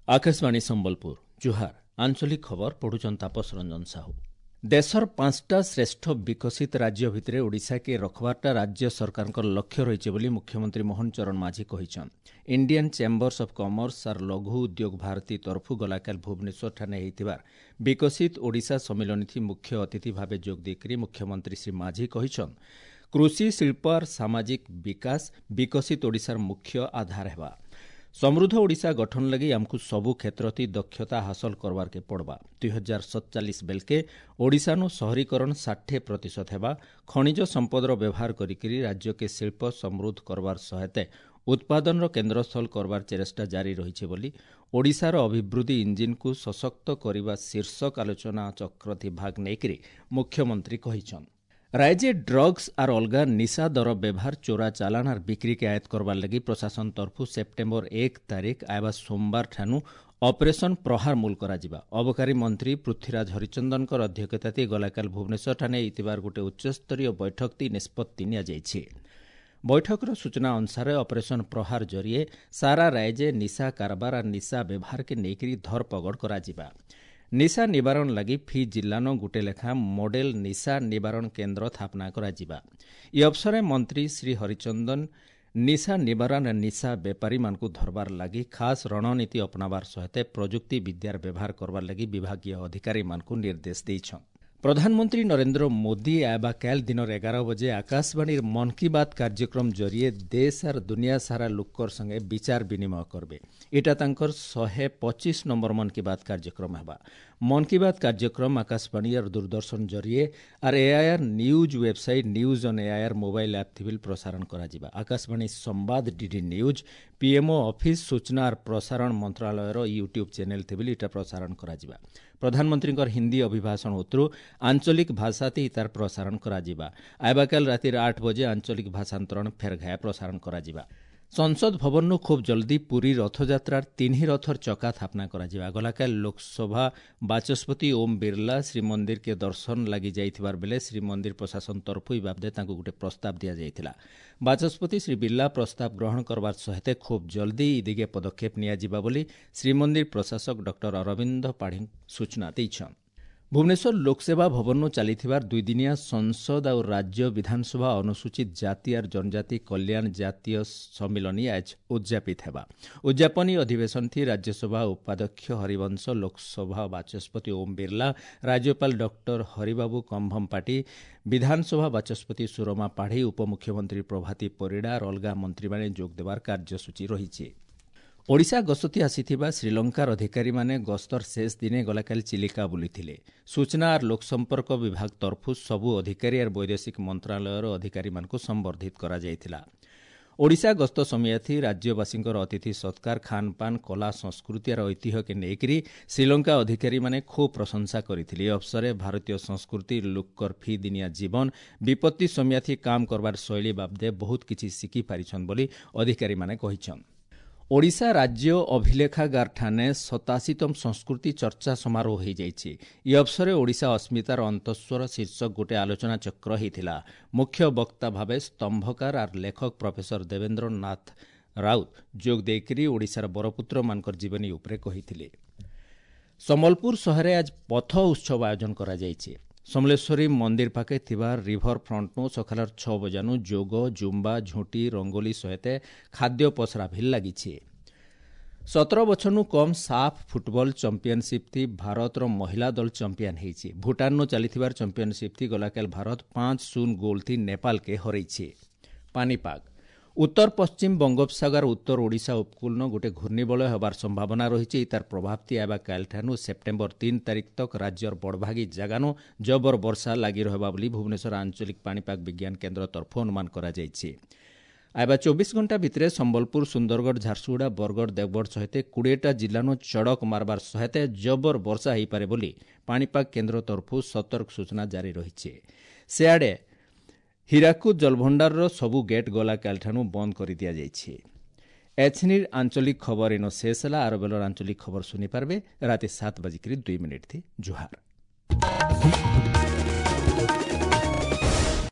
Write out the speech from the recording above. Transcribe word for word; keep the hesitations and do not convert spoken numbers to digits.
ଆକାଶବାଣୀ ସମ୍ବଲପୁର ଜୁହାର ଆଞ୍ଚଳିକ ଖବର ପଢୁଛନ୍ ତାପସ ରଞ୍ଜନ ସାହୁ ଦେଶର ପାଞ୍ଚଟା ଶ୍ରେଷ୍ଠ ବିକଶିତ ରାଜ୍ୟ ଭିତରେ ଓଡ଼ିଶାକେ ରଖବାରଟା ରାଜ୍ୟ ସରକାରଙ୍କ ଲକ୍ଷ୍ୟ ରହିଛି ବୋଲି ମୁଖ୍ୟମନ୍ତ୍ରୀ ମୋହନ ଚରଣ ମାଝୀ କହିଛନ୍ ଇଣ୍ଡିଆନ୍ ଚେମ୍ବର୍ସ ଅଫ୍ କମର୍ସ ଆର୍ ଲଘୁ ଉଦ୍ୟୋଗ ଭାରତୀ ତରଫୁ ଗଲାକାଲି ଭୁବନେଶ୍ୱରଠାନେ ହେଇଥିବାର ବିକଶିତ ଓଡ଼ିଶା ସମ୍ମିଳନୀଥି ମୁଖ୍ୟ ଅତିଥି ଭାବେ ଯୋଗ ଦେଇକରି ମୁଖ୍ୟମନ୍ତ୍ରୀ ଶ୍ରୀ ମାଝୀ କହିଛନ୍ କୃଷି ଶିଳ୍ପ ଆର୍ ସାମାଜିକ ବିକାଶ ବିକଶିତ ଓଡ଼ିଶାର ମୁଖ୍ୟ ଆଧାର ହେବା ସମୃଦ୍ଧ ଓଡ଼ିଶା ଗଠନ ଲାଗି ଆମକୁ ସବୁ କ୍ଷେତ୍ରତି ଦକ୍ଷତା ହାସଲ କରବାର୍କେ ପଡ଼ବା ଦୁଇ ହଜାର ସତଚାଳିଶ ବେଲକେ ଓଡ଼ିଶାନୁ ସହରୀକରଣ ଷାଠିଏ ପ୍ରତିଶତ ହେବା ଖଣିଜ ସମ୍ପଦର ବ୍ୟବହାର କରିକିରି ରାଜ୍ୟକେ ଶିଳ୍ପ ସମୃଦ୍ଧ କରବାର ସହାୟତା ଉତ୍ପାଦନର କେନ୍ଦ୍ରସ୍ଥଳ କରବାର ଚେଷ୍ଟା ଜାରି ରହିছে ବୋଲି ଓଡ଼ିଶାର ଅଭିବୃଦ୍ଧି ଇଞ୍ଜିନ୍କୁ ସଶକ୍ତ କରିବା ଶୀର୍ଷକ ଆଲୋଚନା ଚକ୍ରଥି ଭାଗ ନେଇକରି ମୁଖ୍ୟମନ୍ତ୍ରୀ କହିଛନ୍ ରାଜ୍ୟ ଡ୍ରଗ୍ସ ଆର୍ ଅଲଗା ନିଶା ଦର ବ୍ୟବହାର ଚୋରା ଚାଲାଣ ଆର୍ ବିକ୍ରିକେ ଆୟତ୍ତ କରବାର୍ ଲାଗି ପ୍ରଶାସନ ତରଫୁ ସେପ୍ଟେମ୍ବର ଏକ ତାରିଖ ଆଇବା ସୋମବାର ଠାନୁ ଅପରେସନ ପ୍ରହାର ମୂଲ କରାଯିବା ଅବକାରୀ ମନ୍ତ୍ରୀ ପୃଥ୍ୱୀରାଜ ହରିଚନ୍ଦନଙ୍କର ଅଧ୍ୟକ୍ଷତାତି ଗଲାକାଲି ଭୁବନେଶ୍ୱରଠାନେ ହେଇଥିବାର ଗୋଟେ ଉଚ୍ଚସ୍ତରୀୟ ବୈଠକତି ନିଷ୍ପତ୍ତି ନିଆଯାଇଛି ବୈଠକର ସୂଚନା ଅନୁସାରେ ଅପରେସନ ପ୍ରହାର ଜରିଏ ସାରା ରାଜ୍ୟ ନିଶା କାରବାର ଆର୍ ନିଶା ବ୍ୟବହାରକେ ନେଇକରି ଧରପଗଡ଼ କରାଯିବା ନିଶା ନିବାରଣ ଲାଗି ଫି ଜିଲ୍ଲାନ ଗୁଟେ ଲେଖା ମଡେଲ ନିଶା ନିବାରଣ କେନ୍ଦ୍ର ସ୍ଥାପନା କରାଯିବା ଇ ଅବସରେ ମନ୍ତ୍ରୀ ଶ୍ରୀ ହରିଚନ୍ଦନ ନିଶା ନିବାରଣ ନିଶା ବେପାରୀମାନଙ୍କୁ ଧରବାର ଲାଗି ଖାସ୍ ରଣନୀତି ଅପନାବାର ସହିତ ପ୍ରଯୁକ୍ତି ବିଦ୍ୟାର ବ୍ୟବହାର କରବାର ଲାଗି ବିଭାଗୀୟ ଅଧିକାରୀମାନଙ୍କୁ ନିର୍ଦ୍ଦେଶ ଦେଇଛନ୍ ପ୍ରଧାନମନ୍ତ୍ରୀ ନରେନ୍ଦ୍ର ମୋଦି ଆଇବା କାଲ ଦିନର ଏଗାର ବଜେ ଆକାଶବାଣୀର ମନ୍ କି ବାତ୍ କାର୍ଯ୍ୟକ୍ରମ ଜରିଏ ଦେଶ ଆର୍ ଦୁନିଆ ସାରା ଲୋକର ସଙ୍ଗେ ବିଚାର ବିନିମୟ କରବେ ଏଟା ତାଙ୍କର ଶହେ ପଚିଶ ନମ୍ବର ମନ୍ କି ବାତ୍ କାର୍ଯ୍ୟକ୍ରମ ହେବା ମନ୍ କି ବାତ୍ କାର୍ଯ୍ୟକ୍ରମ ଆକାଶବାଣୀ ଆର୍ ଦୂରଦର୍ଶନ ଜରିଏ ଆର୍ AIR news website news on AIR mobile app ଥିବିଲ ପ୍ରସାରଣ କରାଯିବା ଆକାଶବାଣୀ ସମ୍ବାଦ ଡିଡି ନ୍ୟୁଜ୍ ପିଏମ୍ଓ ଅଫିସ୍ ସୂଚନା ଆର୍ ପ୍ରସାରଣ ମନ୍ତ୍ରାଳୟର ୟୁଟ୍ୟୁବ୍ ଚ୍ୟାନେଲ୍ ଥିବିଲ ଏଟା ପ୍ରସାରଣ କରାଯିବା ପ୍ରଧାନମନ୍ତ୍ରୀଙ୍କର ହିନ୍ଦୀ ଅଭିଭାଷଣ ଉତ୍ତରୁ ଆଞ୍ଚଳିକ ଭାଷାତି ତାର ପ୍ରସାରଣ କରାଯିବା ଆଇବାକାଲ ରାତିର ଆଠ ବଜେ ଆଞ୍ଚଳିକ ଭାଷାନ୍ତରଣ ଫେରଘାୟା ପ୍ରସାରଣ କରାଯିବା ସଂସଦ ଭବନରୁ ଖୁବ୍ ଜଲ୍ଦି ପୁରୀ ରଥଯାତ୍ରାର ତିନି ରଥର ଚକା ସ୍ଥାପନା କରାଯିବା ଗଲାକାଲି ଲୋକସଭା ବାଚସ୍ପତି ଓମ୍ ବିର୍ଲା ଶ୍ରୀମନ୍ଦିରକେ ଦର୍ଶନ ଲାଗି ଯାଇଥିବାର ବେଲେ ଶ୍ରୀମନ୍ଦିର ପ୍ରଶାସନ ତରଫୁ ଇ ବାବଦେ ତାଙ୍କୁ ଗୋଟେ ପ୍ରସ୍ତାବ ଦିଆଯାଇଥିଲା ବାଚସ୍ପତି ଶ୍ରୀ ବିର୍ଲା ପ୍ରସ୍ତାବ ଗ୍ରହଣ କରବାର ସହିତ ଖୁବ୍ ଜଲ୍ଦି ଇ ଦିଗେ ପଦକ୍ଷେପ ନିଆଯିବା ବୋଲି ଶ୍ରୀମନ୍ଦିର ପ୍ରଶାସକ ଡକ୍ଟର ଅରବିନ୍ଦ ପାଢ଼ୀ ସୂଚନା ଦେଇଛନ୍ ଭୁବନେଶ୍ୱର ଲୋକସେବା ଭବନରୁ ଚାଲିଥିବାର ଦୁଇଦିନିଆ ସଂସଦ ଆଉ ରାଜ୍ୟ ବିଧାନସଭା ଅନୁସୂଚିତ ଜାତି ଆର୍ ଜନଜାତି କଲ୍ୟାଣ ଜାତୀୟ ସମ୍ମିଳନୀ ଆଜ ଉଦ୍ଯାପିତ ହେବା ଉଦ୍ଯାପନୀ ଅଧିବେଶନଥି ରାଜ୍ୟସଭା ଉପାଧ୍ୟକ୍ଷ ହରିବଂଶ ଲୋକସଭା ବାଚସ୍ପତି ଓମ୍ ବିର୍ଲା ରାଜ୍ୟପାଳ ଡକ୍ଟର ହରିବାବୁ କମ୍ଭମପାଟି ବିଧାନସଭା ବାଚସ୍ପତି ସୁରମା ପାଢ଼ୀ ଉପମୁଖ୍ୟମନ୍ତ୍ରୀ ପ୍ରଭାତୀ ପରିଡ଼ା ଆର୍ ଅଲଗା ମନ୍ତ୍ରୀମାନେ ଯୋଗ ଦେବାର କାର୍ଯ୍ୟସୂଚୀ ରହିଛି ଓଡ଼ିଶା ଗସ୍ତତି ଆସିଥିବା ଶ୍ରୀଲଙ୍କାର ଅଧିକାରୀମାନେ ଗସ୍ତର ଶେଷ ଦିନେ ଗଲାକାଲି ଚିଲିକା ବୁଲିଥିଲେ ସୂଚନା ଆର୍ ଲୋକସମ୍ପର୍କ ବିଭାଗ ତରଫୁ ସବୁ ଅଧିକାରୀ ଆର୍ ବୈଦେଶିକ ମନ୍ତ୍ରାଳୟର ଅଧିକାରୀମାନଙ୍କୁ ସମ୍ବର୍ଦ୍ଧିତ କରାଯାଇଥିଲା ଓଡ଼ିଶା ଗସ୍ତ ସମୟାଥି ରାଜ୍ୟବାସୀଙ୍କର ଅତିଥି ସତ୍କାର ଖାନପାନ କଲା ସଂସ୍କୃତି ଆର୍ ଐତିହ୍ୟକେ ନେଇକରି ଶ୍ରୀଲଙ୍କା ଅଧିକାରୀମାନେ ଖୁବ୍ ପ୍ରଶଂସା କରିଥିଲେ ଏ ଅବସରେ ଭାରତୀୟ ସଂସ୍କୃତି ଲୋକର ଫି ଦିନିଆ ଜୀବନ ବିପତ୍ତି ସମୟାଥି କାମ କରବାର ଶୈଳୀ ବାବଦେ ବହୁତ କିଛି ଶିଖିପାରିଛନ୍ ବୋଲି ଅଧିକାରୀମାନେ କହିଛନ୍ ଓଡ଼ିଶା ରାଜ୍ୟ ଅଭିଲେଖାଗାରଠାନେ ସତାଅଶୀତମ ସଂସ୍କୃତି ଚର୍ଚ୍ଚା ସମାରୋହ ହୋଇଯାଇଛି ଇ ଅବସରେ ଓଡ଼ିଶା ଅସ୍ମିତାର ଅନ୍ତଃସ୍ୱର ଶୀର୍ଷକ ଗୋଟେ ଆଲୋଚନା ଚକ୍ର ହୋଇଥିଲା ମୁଖ୍ୟ ବକ୍ତା ଭାବେ ସ୍ତମ୍ଭକାର ଆର୍ ଲେଖକ ପ୍ରଫେସର ଦେବେନ୍ଦ୍ର ନାଥ ରାଉତ ଯୋଗ ଦେଇକରି ଓଡ଼ିଶାର ବରପୁତ୍ରମାନଙ୍କର ଜୀବନୀ ଉପରେ କହିଥିଲେ ସମ୍ବଲପୁର ସହରରେ ଆଜ ପଥ ଉତ୍ସବ ଆୟୋଜନ କରାଯାଇଛି ସମଲେଶ୍ୱରୀ ମନ୍ଦିର ପାଖେ ଥିବା ରିଭର ଫ୍ରଣ୍ଟନୁ ସକାଳର ଛଅ ବଜାନୁ ଯୋଗ ଜୁମ୍ବା ଝୁଣ୍ଟି ରଙ୍ଗୋଲି ସହିତ ଖାଦ୍ୟ ପସରା ଭିଲ୍ ଲାଗିଛି ସତର ବଛରନୁ କମ୍ ସାଫ୍ ଫୁଟବଲ ଚମ୍ପିୟନସିପ୍ ଥି ଭାରତର ମହିଳା ଦଳ ଚମ୍ପିଆନ ହେଇଛି ଭୁଟାନନୁ ଚାଲିଥିବାର ଚମ୍ପିୟନସିପ୍ ଥି ଗଲାକାଲି ଭାରତ ପାଞ୍ଚ ଶୂନ ଗୋଲ୍ ଥି ନେପାଳକେ ହରେଇଛି ପାଣିପାଗ ଉତ୍ତର ପଶ୍ଚିମ ବଙ୍ଗୋପସାଗର ଉତ୍ତର ଓଡ଼ିଶା ଉପକୂଳନ ଗୋଟେ ଘୂର୍ଣ୍ଣିବଳୟ ହେବାର ସମ୍ଭାବନା ରହିଛି ତାର ପ୍ରଭାବତି ଆଇବା କାଲିଠାନୁ ସେପ୍ଟେମ୍ବର ତିନି ତାରିଖ ତକ ରାଜ୍ୟର ବଡ଼ଭାଗୀ ଜାଗାନୁ ଜବର ବର୍ଷା ଲାଗି ରହିବା ବୋଲି ଭୁବନେଶ୍ୱର ଆଞ୍ଚଳିକ ପାଣିପାଗ ବିଜ୍ଞାନ କେନ୍ଦ୍ର ତରଫୁ ଅନୁମାନ କରାଯାଇଛି ଆଇବା ଚବିଶ ଘଣ୍ଟା ଭିତରେ ସମ୍ବଲପୁର ସୁନ୍ଦରଗଡ଼ ଝାରସୁଗୁଡ଼ା ବରଗଡ଼ ଦେବଗଡ଼ ସହିତ କୋଡ଼ିଏଟା ଜିଲ୍ଲାନୁ ଚଡ଼କ ମାରବାର ସହିତ ଜବର ବର୍ଷା ହୋଇପାରେ ବୋଲି ପାଣିପାଗ କେନ୍ଦ୍ର ତରଫୁ ସତର୍କ ସୂଚନା ଜାରି ରହିଛି ସେଆଡ଼େ ହୀରାକୁଦ ଜଳଭଣ୍ଡାରର ସବୁ ଗେଟ୍ ଗଲା କାଲିଠାନୁ ବନ୍ଦ କରିଦିଆଯାଇଛି ଏଛନିର ଆଞ୍ଚଳିକ ଖବର ଏନ ଶେଷ ହେଲା ଆର ବେଲର ଆଞ୍ଚଳିକ ଖବର ଶୁଣିପାରିବେ ରାତି ସାତ ବାଜିକରି ଦୁଇ ମିନିଟ୍ ଥି ଜୁହାର